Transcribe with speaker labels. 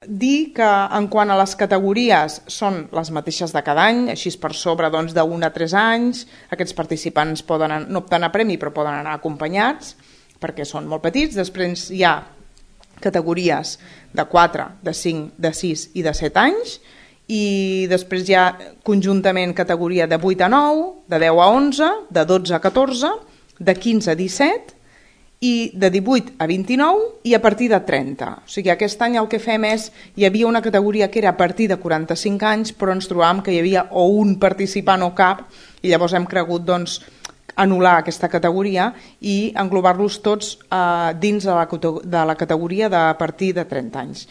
Speaker 1: dir que en quant a les categories són les mateixes de cada any, així per sobre d'1 a 3 anys, aquests participants no opten a premi però poden anar acompanyats perquè són molt petits. Després hi ha categories de 4, de 5, de 6 i de 7 anys, i després hi ha conjuntament categoria de 8 a 9, de 10 a 11, de 12 a 14, de 15 a 17 i de 18 a 29 i a partir de 30. O sigui, aquest any el que fem és, hi havia una categoria que era a partir de 45 anys, però ens trobàvem que hi havia o un participant o cap, i llavors hem cregut anul·lar aquesta categoria i englobar-los tots dins de la categoria de a partir de 30 anys.